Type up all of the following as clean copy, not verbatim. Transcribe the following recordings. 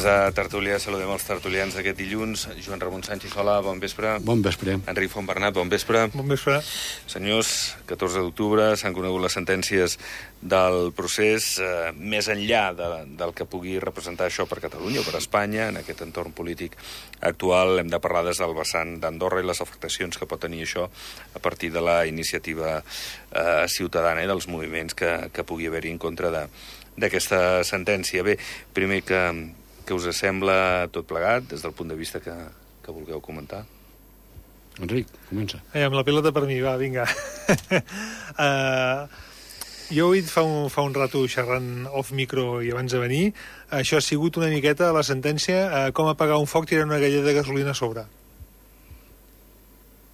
a Tertúlia. Saludem els tertulians d'aquest dilluns. Joan Ramon Sánchez, hola, bon vespre. Bon vespre. Enric Fontbernat, bon vespre. Bon vespre. Senyors, 14 d'octubre s'han conegut les sentències del procés. Més enllà del que pugui representar això per Catalunya o per Espanya, en aquest entorn polític actual, hem de parlar des del vessant d'Andorra i les afectacions que pot tenir això a partir de la iniciativa ciutadana i dels moviments que pugui haver-hi en contra d'aquesta sentència. Bé, primer, que us sembla tot plegat, des del punt de vista que vulgueu comentar? Enric, comença. Amb la pilota per mi, va, vinga. Jo he dit fa un rato xerrant off-micro i abans de venir, això ha sigut una miqueta la sentència com apagar un foc tirant una galleda de gasolina a sobre.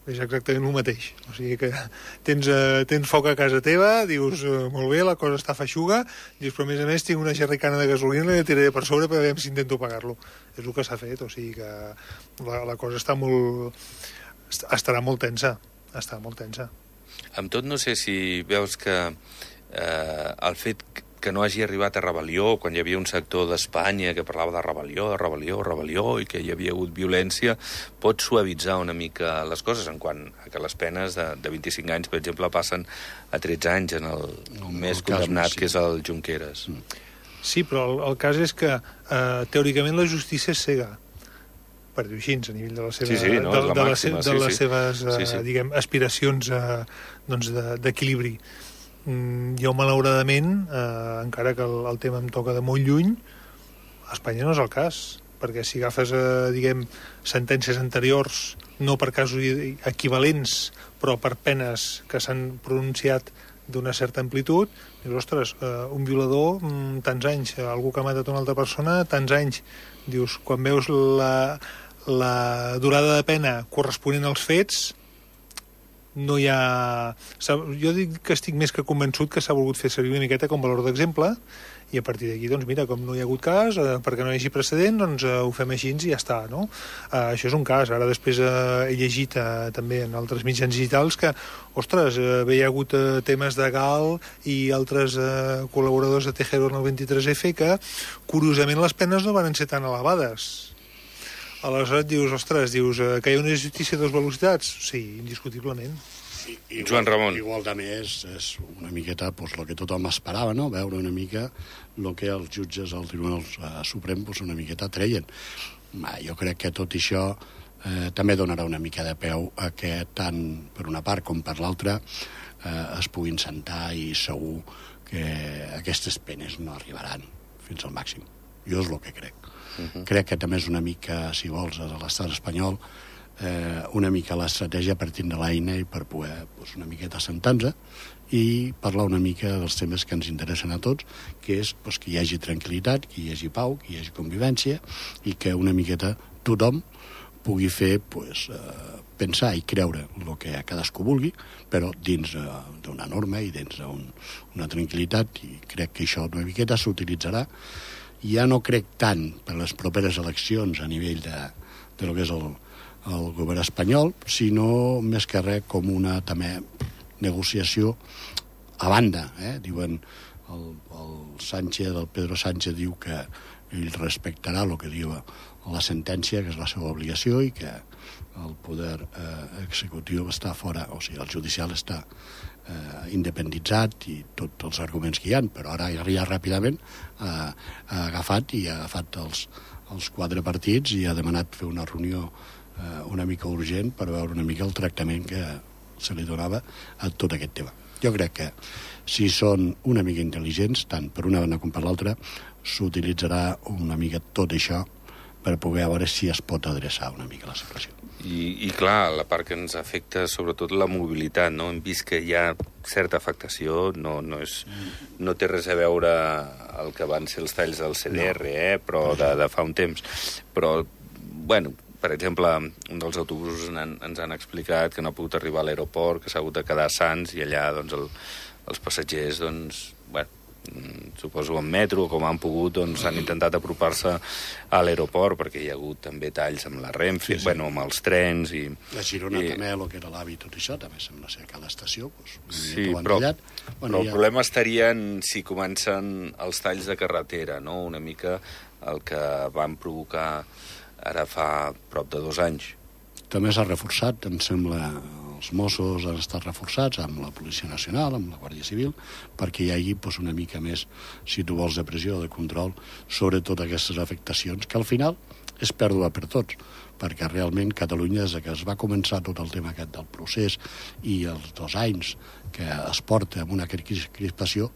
És exactament el mateix. O sigui que tens foc a casa teva, dius, molt bé, la cosa està feixuga, dius, però a més tinc una xerricana de gasolina i la tiraré per sobre per veure si intento apagar-lo. És el que s'ha fet, o sigui que la cosa estarà molt tensa. Estarà molt tensa. Amb tot, no sé si veus que el fet que no hagi arribat a rebel·lió, quan hi havia un sector d'Espanya que parlava de rebel·lió, i que hi havia hagut violència, pot suavitzar una mica les coses, en quant a que les penes de 25 anys, per exemple, passen a 13 anys en el més condemnat, que és el Junqueras. Sí, però el cas és que teòricament la justícia és cega, per dir-ho així, a nivell de les seves diguem, aspiracions d'equilibri. Jo, malauradament, encara que el tema em toca de molt lluny, a Espanya no és el cas, perquè si agafes, diguem, sentències anteriors, no per casos equivalents, però per penes que s'han pronunciat d'una certa amplitud, dius, ostres, un violador, tants anys, algú que ha matat una altra persona, tants anys. Dius, quan veus la durada de pena corresponent als fets, no hi ha... Jo dic que estic més que convençut que s'ha volgut fer servir una miqueta com valor d'exemple, i a partir d'aquí, doncs mira, com no hi ha hagut cas, perquè no hi hagi precedent, doncs ho fem així i ja està, no? Això és un cas. Ara després he llegit també en altres mitjans digitals que, ostres, hi ha hagut temes de Gal i altres col·laboradors de Tejero en el 23F que, curiosament, les penes no van ser tan elevades. Aleshores dius, ostres, que hi ha una justícia de dues velocitats? Sí, indiscutiblement. Joan Ramon. Igual també és una miqueta el que tothom esperava, no? Veure una mica el que els jutges al Tribunal Suprem una miqueta treien. Jo crec que tot això també donarà una mica de peu a que tant per una part com per l'altra es puguin sentar, i segur que aquestes penes no arribaran fins al màxim. Jo és el que crec. Crec que també és una mica, si vols, a l'estat espanyol, una mica l'estratègia partint de l'eina i per poder una miqueta assentar-nos i parlar una mica dels temes que ens interessen a tots, que és que hi hagi tranquil·litat, que hi hagi pau, que hi hagi convivència i que una miqueta tothom pugui fer pensar i creure el que cadascú vulgui, però dins d'una norma i dins d'una tranquil·litat, i crec que això una miqueta s'utilitzarà. Ja no crec tant per les properes eleccions a nivell de lo que és el govern espanyol, sinó més que res com una també negociació a banda. Diuen el Pedro Sánchez diu que ell respectarà el que diu la sentència, que és la seva obligació, i que el poder executiu està fora, o sigui, el judicial està independitzat i tots els arguments que hi ha, però ara ja ràpidament ha agafat els 4 partits i ha demanat fer una reunió una mica urgent per veure una mica el tractament que se li donava a tot aquest tema. Jo crec que si són una mica intel·ligents, tant per una banda com per l'altra, s'utilitzarà una mica tot això per poder veure si es pot adreçar una mica la situació. I clar, la part que ens afecta sobretot la mobilitat, no? Hem vist que hi ha certa afectació, no té res a veure el que van ser els talls del CDR, però de fa un temps. Però, bueno, per exemple, un dels autobusos ens han explicat que no ha pogut arribar a l'aeroport, que s'ha hagut de quedar a Sants, i allà els passatgers, suposo en metro, com han pogut, han intentat apropar-se a l'aeroport, perquè hi ha hagut també talls amb la Renfe, amb els trens. La Girona també, el que era l'AVI, tot això, també sembla ser que a l'estació però el problema estaria en si comencen els talls de carretera, no? Una mica el que van provocar ara fa prop de 2 anys. També s'ha reforçat, em sembla, els Mossos han estat reforçats amb la Policia Nacional, amb la Guàrdia Civil, perquè hi hagi una mica més, si tu vols, de pressió, de control sobre totes aquestes afectacions, que al final és pèrdua per tots, perquè realment Catalunya, des que es va començar tot el tema aquest del procés i els 2 anys que es porta amb una crispació,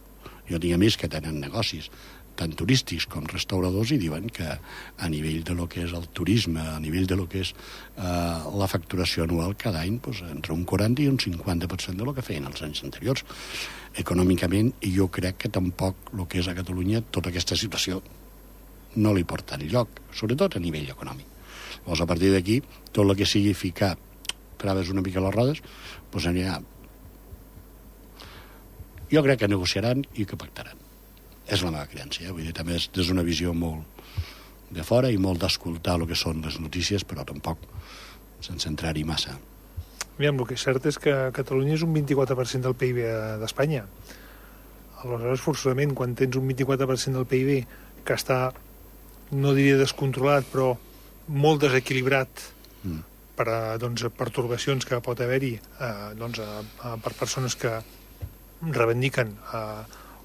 jo tinc amics que tenen negocis tant turístics com restauradors i diuen que a nivell de lo que és el turisme, a nivell de lo que és la facturació anual cada any, entre un 40 i un 50% de lo que feien els anys anteriors. Econòmicament, jo crec que tampoc el que és a Catalunya, tota aquesta situació no li porta enlloc, sobretot a nivell econòmic. Llavors, a partir d'aquí, tot el que sigui ficar traves una mica a les rodes, doncs anirà. Jo crec que negociaran i que pactaran. És la meva creença, vull dir, també és des d'una visió molt de fora i molt d'escoltar el que són les notícies, però tampoc sense entrar-hi massa. Aviam, el que és cert és que Catalunya és un 24% del PIB d'Espanya. Aleshores, forçosament, quan tens un 24% del PIB que està, no diria descontrolat, però molt desequilibrat per pertorbacions que pot haver-hi per persones que reivindiquen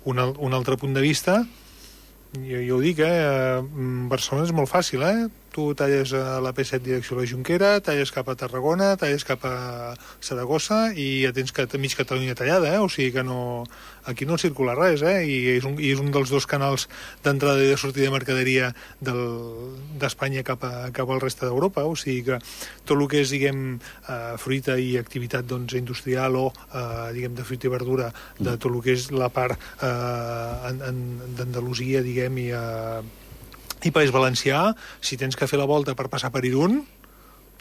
un altre punt de vista, jo ho dic, Barcelona és molt fàcil, tu talles la P7 direcció a la Jonquera, talles cap a Tarragona, talles cap a Saragossa i ja tens mig Catalunya tallada, o sigui que aquí no circula res, i és un dels 2 canals d'entrada i de sortida de mercaderia d'Espanya cap al reste d'Europa, o sigui que tot el que és, diguem, fruita i activitat industrial o, diguem, de fruita i verdura de tot el que és la part d'Andalusia, diguem, i País Valencià, si tens que fer la volta per passar per Irún,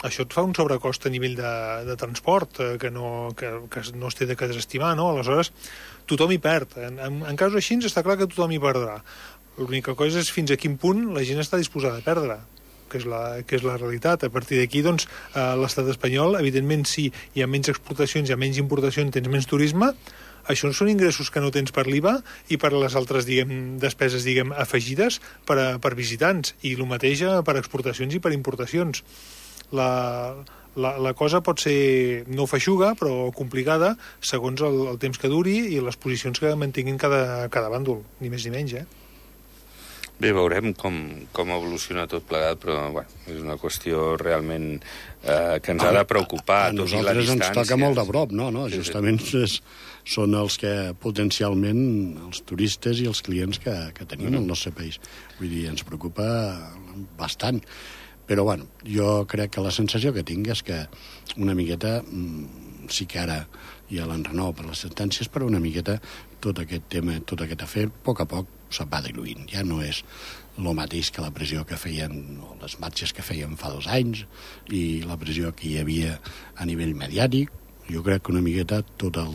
això et fa un sobrecost a nivell de transport que no es té de que desestimar, no? Aleshores, tothom hi perd. En casos així està clar que tothom hi perdrà. L'única cosa és fins a quin punt la gent està disposada a perdre, que és la realitat. A partir d'aquí, doncs, l'estat espanyol, evidentment, si hi ha menys exportacions, hi ha menys importacions, tens menys turisme, això són ingressos que no tens per l'IVA i per les altres, diguem, despeses, diguem, afegides per visitants, i el mateix per exportacions i per importacions. La cosa pot ser no feixuga, però complicada, segons el temps que duri i les posicions que mantinguin cada bàndol, ni més ni menys, Bé, veurem com evoluciona tot plegat, però és una qüestió realment que ens ha de preocupar. A nosaltres ens toca molt de prop, no? Justament són els que potencialment els turistes i els clients que tenim al nostre país. Vull dir, ens preocupa bastant. Però, jo crec que la sensació que tinc és que una miqueta, sí que ara hi ha l'enrenou per les sentències, però una miqueta tot aquest tema, tot aquest afer, a poc se'n va diluint. Ja no és el mateix que la pressió que feien, o les marxes que feien fa 2 anys, i la pressió que hi havia a nivell mediàtic. Jo crec que una miqueta tot el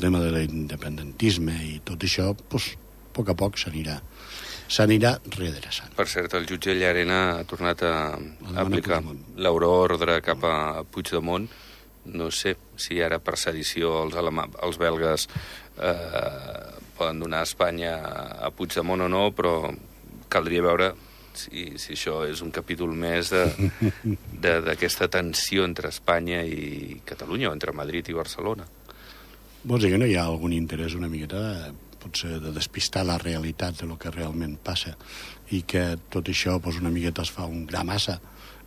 tema de l'independentisme i tot això, a poc s'anirà redreçant. Per cert, el jutge Llarena ha tornat a aplicar l'euroordre cap a Puigdemont. No sé si ara per sedició els belgues poden donar a Espanya a Puigdemont o no, però caldria veure si això és un capítol més d'aquesta tensió entre Espanya i Catalunya, o entre Madrid i Barcelona. Vols dir que no hi ha algun interès una miqueta, potser, de despistar la realitat de lo que realment passa, i que tot això una miqueta es fa un gra massa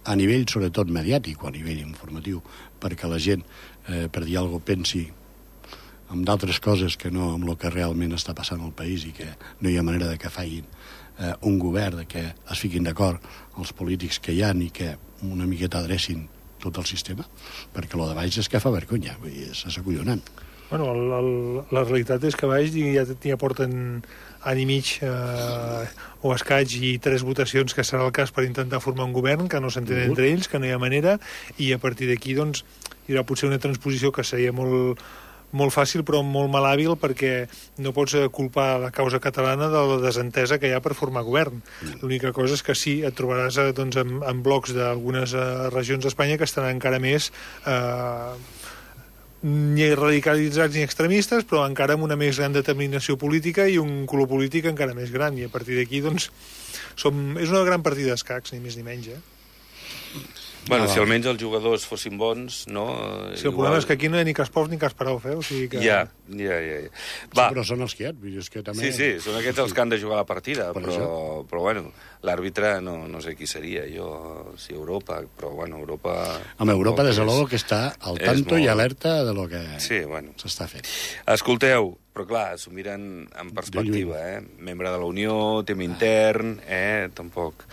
a nivell, sobretot, mediàtic o a nivell informatiu, perquè la gent, per dir alguna cosa, pensi en d'altres coses que no amb el que realment està passant al país, i que no hi ha manera de que facin un govern, que es fiquin d'acord els polítics que hi ha i que una miqueta adrecin tot el sistema, perquè el de baix és que fa vergonya, vull dir, és acollonant. La realitat és que a baix ja porten any i mig o escaig i 3 votacions, que serà el cas per intentar formar un govern, que no s'entenen entre ells, que no hi ha manera, i a partir d'aquí doncs, hi haurà potser una transposició que seria molt fàcil però molt malhàbil, perquè no pots culpar la causa catalana de la desentesa que hi ha per formar govern. L'única cosa és que sí, et trobaràs en blocs d'algunes regions d'Espanya que estan encara més ni radicalitzats ni extremistes, però encara amb una més gran determinació política i un color polític encara més gran, i a partir d'aquí doncs és una gran partida d'escacs, ni més ni menys, Bueno, si almenys els jugadors fossin bons, no? Sí, el problema és que aquí no hi ha ni Kasparov ni Kasparov, o sigui que... Ja. Sí, però són els que hi ha, és que també... Sí, són aquests els que han de jugar la partida, però bueno, l'àrbitre no sé qui seria, si Europa, però bueno, Europa... Home, Europa, des de l'Olo, que està al tanto i alerta de lo que s'està fent. Escolteu, però clar, s'ho miren en perspectiva, Membre de la Unió, tema intern, tampoc...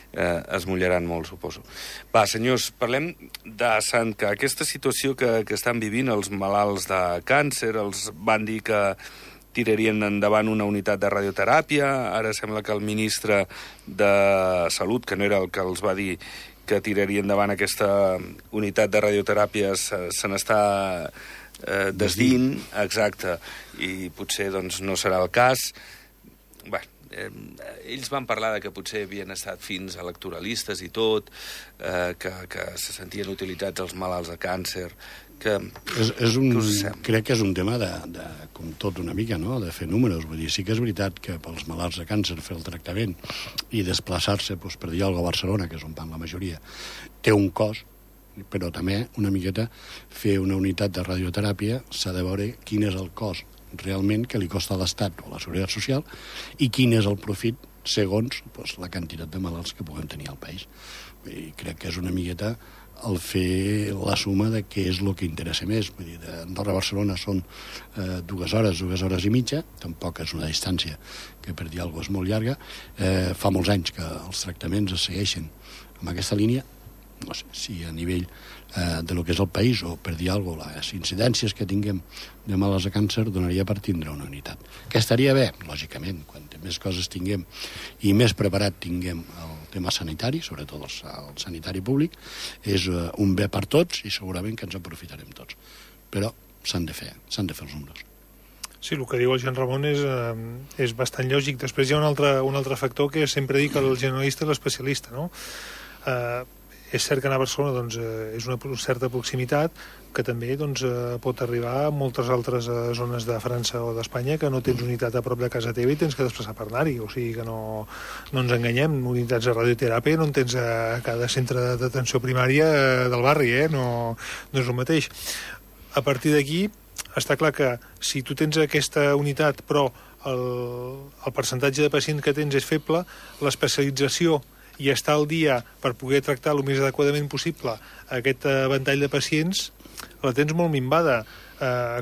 es mullaran molt, suposo. Va, senyors, parlem de Sant, que aquesta situació que estan vivint els malalts de càncer, els van dir que tirarien endavant una unitat de radioteràpia, ara sembla que el ministre de Salut, que no era el que els va dir que tiraria endavant aquesta unitat de radioteràpia, se n'està desdint, exacte, i potser doncs no serà el cas. Bé, ells van parlar de que potser havien estat fins electoralistes i tot, que se sentien utilitzats els malalts de càncer, crec que és un tema com tot una mica, no?, de fer números. Vull dir, sí que és veritat que pels malalts de càncer fer el tractament i desplaçar-se, per dir alguna cosa, a Barcelona, que és on van la majoria, té un cost, però també una miqueta fer una unitat de radioteràpia s'ha de veure quin és el cost realment que li costa a l'Estat o a la Seguretat Social i quin és el profit segons la quantitat de malalts que puguem tenir al país. I crec que és una miqueta el fer la suma de què és el que interessa més. Vull dir, d'Andorra a Barcelona són 2 hores i mitja, tampoc és una distància que per dir alguna cosa és molt llarga. Fa molts anys que els tractaments es segueixen amb aquesta línia. No sé si a nivell de lo que és el país o per dir alguna cosa, les incidències que tinguem de malalts de càncer donaria per tindre una unitat. Que estaria bé, lògicament, quan més coses tinguem i més preparat tinguem el tema sanitari, sobretot el sanitari públic, és un bé per tots i segurament que ens aprofitarem tots. Però s'han de fer els números. Sí, el que diu el Jean Ramon és bastant lògic. Després hi ha un altre factor que sempre dic que el generalista és l'especialista, no? És cert que anar a Barcelona doncs, és una certa proximitat que també doncs, pot arribar a moltes altres zones de França o d'Espanya que no tens unitat a prop de casa teva i tens que desplaçar per anar-hi. O sigui que no ens enganyem. Unitats de radioteràpia no en tens a cada centre d'atenció primària del barri, no és el mateix. A partir d'aquí, està clar que si tu tens aquesta unitat però el percentatge de pacients que tens és feble, l'especialització i estar al dia per poder tractar el més adequadament possible aquest ventall de pacients, la tens molt minvada.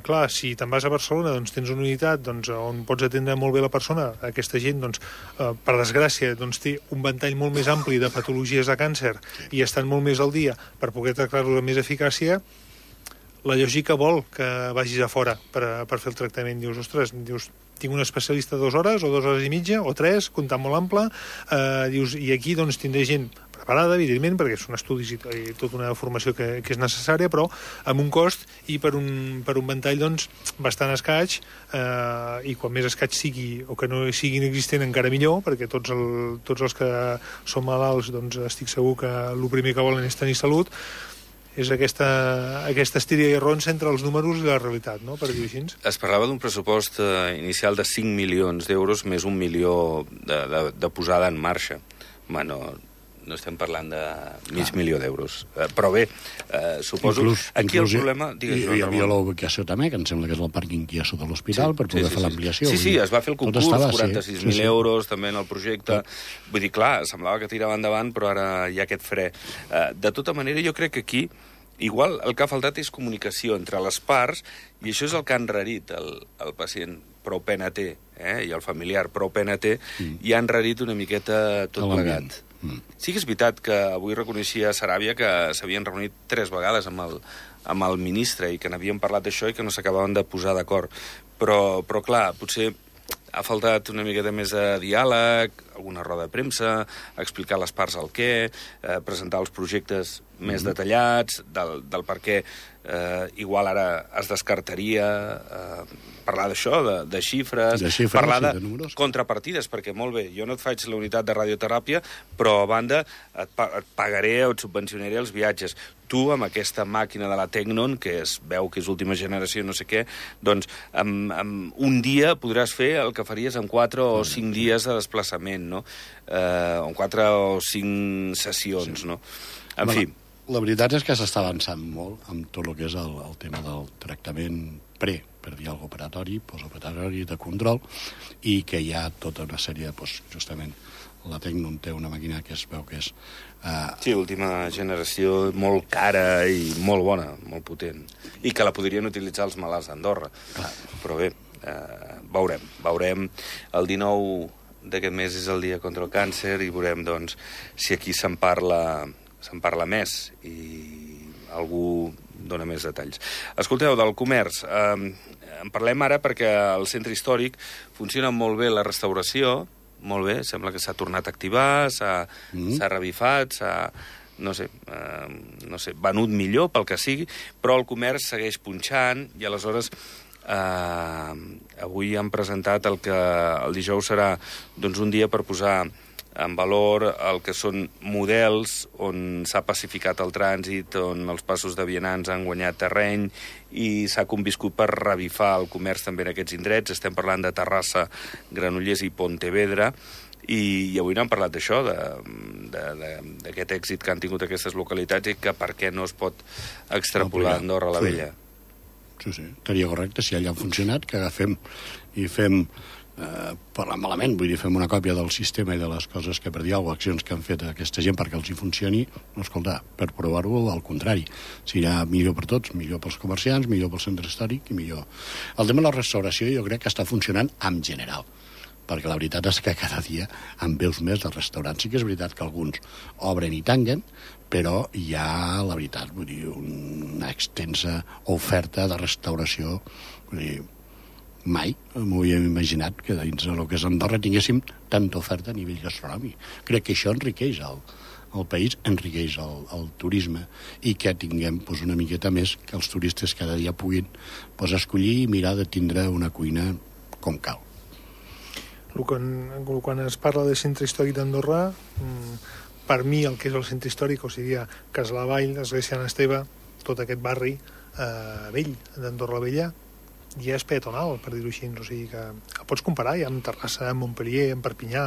Clar, si te'n vas a Barcelona doncs tens una unitat on pots atendre molt bé la persona. Aquesta gent, per desgràcia, té un ventall molt més ampli de patologies de càncer i estan molt més al dia per poder tractar-los amb més eficàcia. La lògica vol que vagis a fora per fer el tractament. Dius, ostres, tinc un especialista 2 hores o 2 hores i mitja o 3, comptant molt ample, i aquí tindré gent preparada, evidentment, perquè són estudis i tota una formació que és necessària, però amb un cost i per un ventall bastant escaig, i quan més escaig sigui o que no sigui inexistent encara millor, perquè tots els que són malalts estic segur que el primer que volen és tenir salut. És aquesta estira i arronsa entre els números i la realitat, no?, per dir-ho així. Es parlava d'un pressupost inicial de 5 milions d'euros més 1 milió de posada en marxa. Bueno, no estem parlant de mig milió d'euros. Però bé, suposo... Aquí el problema... Hi havia la ubicació també, que em sembla que és el pàrquing que hi ha sota l'hospital, per poder fer l'ampliació. Sí, es va fer el concurs, 46.000 euros també en el projecte. Vull dir, clar, semblava que tirava endavant, però ara hi ha aquest fre. De tota manera, jo crec que aquí igual el que ha faltat és comunicació entre les parts, i això és el que ha enrarit el pacient prou pena té, i el familiar prou pena té, i ha enrarit una miqueta tot plegat. Sí que és veritat que avui reconeixia Saràbia que s'havien reunit 3 vegades amb el ministre i que n'havien parlat d'això i que no s'acabaven de posar d'acord. Però clar, potser ha faltat una miqueta més de diàleg, alguna roda de premsa, explicar les parts el què, presentar els projectes més detallats, del per què igual ara es descartaria parlar d'això, de xifres, parlar de contrapartides, perquè molt bé, jo no et faig la unitat de radioteràpia, però a banda et pagaré o et subvencionaré els viatges. Tu, amb aquesta màquina de la Tecnon, que es veu que és última generació, no sé què, doncs en un dia podràs fer el que faries en 4 o 5 dies de desplaçament, no? En 4 o 5 sessions, no? En fi. La veritat és que s'està avançant molt amb tot el que és el tema del tractament per dir alguna operatori, postoperatori, de control, i que hi ha tota una sèrie, justament, la Tecnon té una màquina que es veu que és... Sí, última generació, molt cara i molt bona, molt potent, i que la podrien utilitzar els malalts d'Andorra. Però bé, veurem. El 19 d'aquest mes és el dia contra el càncer i veurem, doncs, si aquí se'n parla més i algú dona més detalls. Escolteu, del comerç, en parlem ara perquè al centre històric funciona molt bé la restauració, molt bé, sembla que s'ha tornat a activar, s'ha revifat, no sé, venut millor pel que sigui, però el comerç segueix punxant i aleshores avui han presentat el que el dijous serà doncs, un dia per posar en valor el que són models on s'ha pacificat el trànsit, on els passos de vianants han guanyat terreny i s'ha conviscut per revifar el comerç també en aquests indrets. Estem parlant de Terrassa, Granollers i Pontevedra, i avui n'han parlat d'això, d'aquest èxit que han tingut aquestes localitats i que per què no es pot extrapolar a Andorra la Vella. Sí, estaria correcte, si allà ha funcionat, que agafem i fem... parlant malament, vull dir, fem una còpia del sistema i de les coses que, per dir alguna cosa, accions que han fet aquesta gent perquè els hi funcioni, no, escolta, per provar-ho, al contrari, serà millor per tots, millor pels comerciants, millor pel centre històric i millor... El tema de la restauració jo crec que està funcionant en general, perquè la veritat és que cada dia en veus més de restaurants. Sí que és veritat que alguns obren i tanquen, però hi ha, la veritat, vull dir, una extensa oferta de restauració, vull dir, mai m'ho havíem imaginat que dins del que és Andorra tinguéssim tanta oferta a nivell gastronòmic. Crec que això enriqueix el país, enriqueix el turisme i que tinguem una miqueta més que els turistes cada dia puguin escollir i mirar de tindre una cuina com cal. Quan es parla de centre històric d'Andorra, per mi el que és el centre històric, o sigui, Casalavall, Església Sant Esteve, tot aquest barri vell d'Andorra la Vella, ja és peatonal, per dir-ho així, o sigui que el pots comparar ja amb Terrassa, amb Montpellier, amb Perpinyà,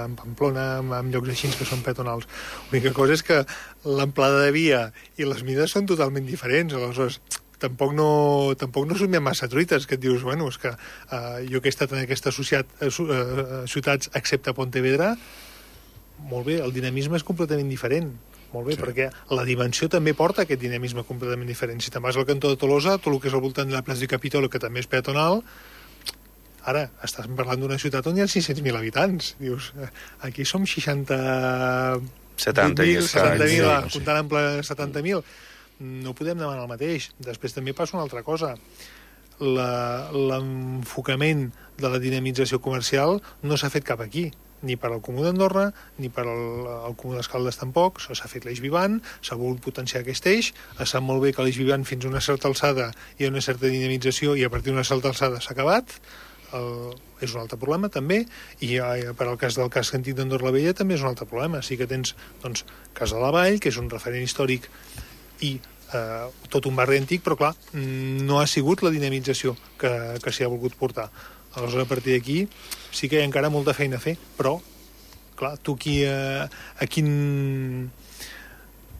amb Pamplona, amb llocs així que són peatonals. L'única cosa és que l'amplada de via i les mides són totalment diferents, aleshores tampoc no som ja massa truites, que et dius, bueno, és que jo que he estat en aquestes ciutats excepte Pontevedra, molt bé, el dinamisme és completament diferent. Molt bé, sí. Perquè la dimensió també porta aquest dinamisme completament diferent. Si te'n vas al cantó de Tolosa, tot el que és al voltant de la plaça de Capitolo, que també és peatonal, ara estàs parlant d'una ciutat on hi ha 600.000 habitants. Dius, aquí som 70.000, comptant ample 70.000. No podem demanar el mateix. Després també passa una altra cosa. L'enfocament de la dinamització comercial no s'ha fet cap aquí, ni per al Comú d'Andorra, ni per al Comú d'Escaldes tampoc. S'ha fet l'Eix Vivant, s'ha volgut potenciar aquest eix, es sap molt bé que l'Eix Vivant fins a una certa alçada hi ha una certa dinamització i a partir d'una certa alçada s'ha acabat. És un altre problema també, i per al cas del casc antic d'Andorra la Vella també és un altre problema. Sí que tens doncs, Casalavall, que és un referent històric i tot un barri antic, però clar, no ha sigut la dinamització que s'hi ha volgut portar. Aleshores, a partir d'aquí sí que hi ha encara molta feina a fer, però, clar, tu a quin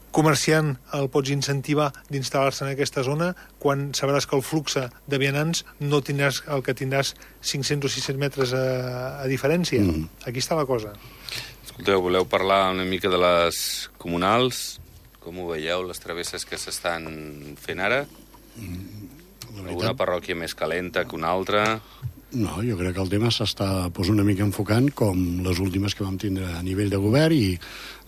comerciant el pots incentivar d'instal·lar-se en aquesta zona quan sabràs que el flux de vianants no tindràs el que tindràs 500 o 600 metres a diferència? Aquí està la cosa. Escolteu, voleu parlar una mica de les comunals? Com ho veieu, les travesses que s'estan fent ara? Alguna parròquia més calenta que una altra? No, jo crec que el tema s'està una mica enfocant com les últimes que vam tindre a nivell de govern i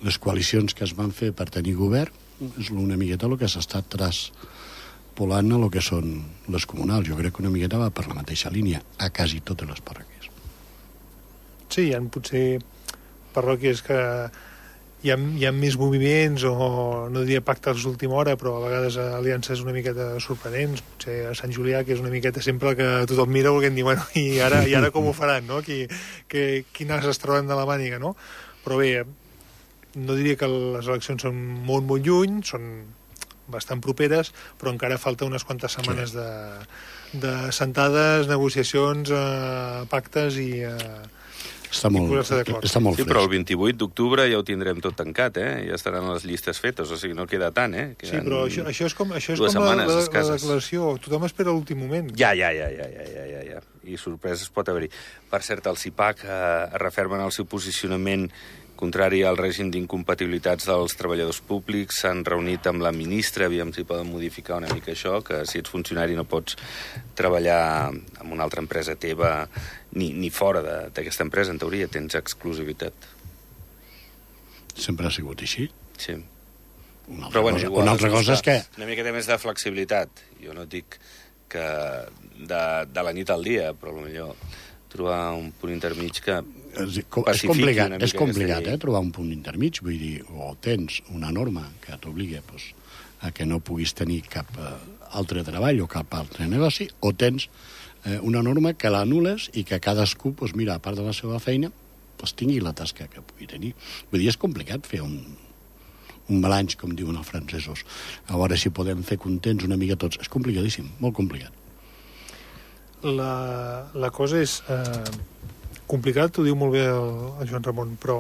les coalicions que es van fer per tenir govern és una miqueta el que s'està traspolant a el que són les comunals. Jo crec que una miqueta va per la mateixa línia a quasi totes les parròquies. Sí, hi ha potser parròquies que hi ha més moviments, o no diria pactes d'última hora, però a vegades aliances una miqueta sorprenents. Potser a Sant Julià, que és una miqueta sempre que tothom mira perquè diu, bueno, i ara com ho faran, no? Quines es troben de la màniga, no? Però bé, no diria que les eleccions són molt, molt lluny, són bastant properes, però encara falta unes quantes setmanes de sentades, negociacions, pactes i... Està molt sí, però el 28 d'octubre ja ho tindrem tot tancat, ja estaran les llistes fetes, o sigui, no queda tant, Sí, però això és com la declaració, tothom espera l'últim moment. Ja. I sorpreses pot haver-hi. Per cert, el CIPAC refermen el seu posicionament contrari al règim d'incompatibilitats dels treballadors públics. S'han reunit amb la ministra, aviam si poden modificar una mica això, que si ets funcionari no pots treballar en una altra empresa teva ni fora d'aquesta empresa, en teoria, tens exclusivitat. Sempre ha sigut així? Sí. Una altra cosa és que... Una miqueta més de flexibilitat. Jo no dic que de la nit al dia, però potser trobar un punt intermig que pacifiqui una mica. És complicat, trobar un punt intermig. Vull dir, o tens una norma que t'obligui a que no puguis tenir cap altre treball o cap altre negoci, o tens una norma que l'anul·les i que cadascú, mira, a part de la seva feina, tingui la tasca que pugui tenir. Vull dir, és complicat fer un balanç, com diuen els francesos. A veure si podem fer contents una mica tots. És complicadíssim, molt complicat. La cosa és complicat, ho diu molt bé el Joan Ramon, però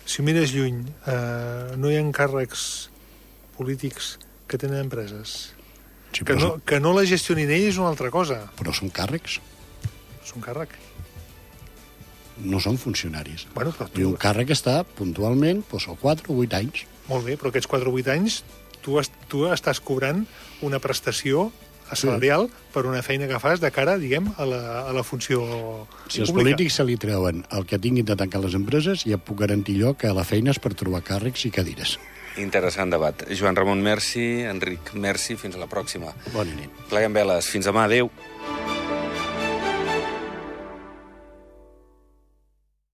si ho mires lluny, no hi ha càrrecs polítics que tenen empreses. Sí, que no la gestionin ells és una altra cosa. Però són càrrecs. Són càrrec. No són funcionaris. Bueno, I un càrrec està puntualment o 4 o 8 anys. Molt bé, però aquests 4 o 8 anys tu estàs cobrant una prestació salarial per una feina que fas de cara, diguem, a la funció pública. Si els polítics se li treuen el que tinguin de tancar les empreses, ja puc garantir jo que la feina és per trobar càrrecs i cadires. Interessant debat. Joan Ramon, merci. Enric, merci. Fins a la pròxima. Bona nit. Pleguem veles. Fins demà. Adéu.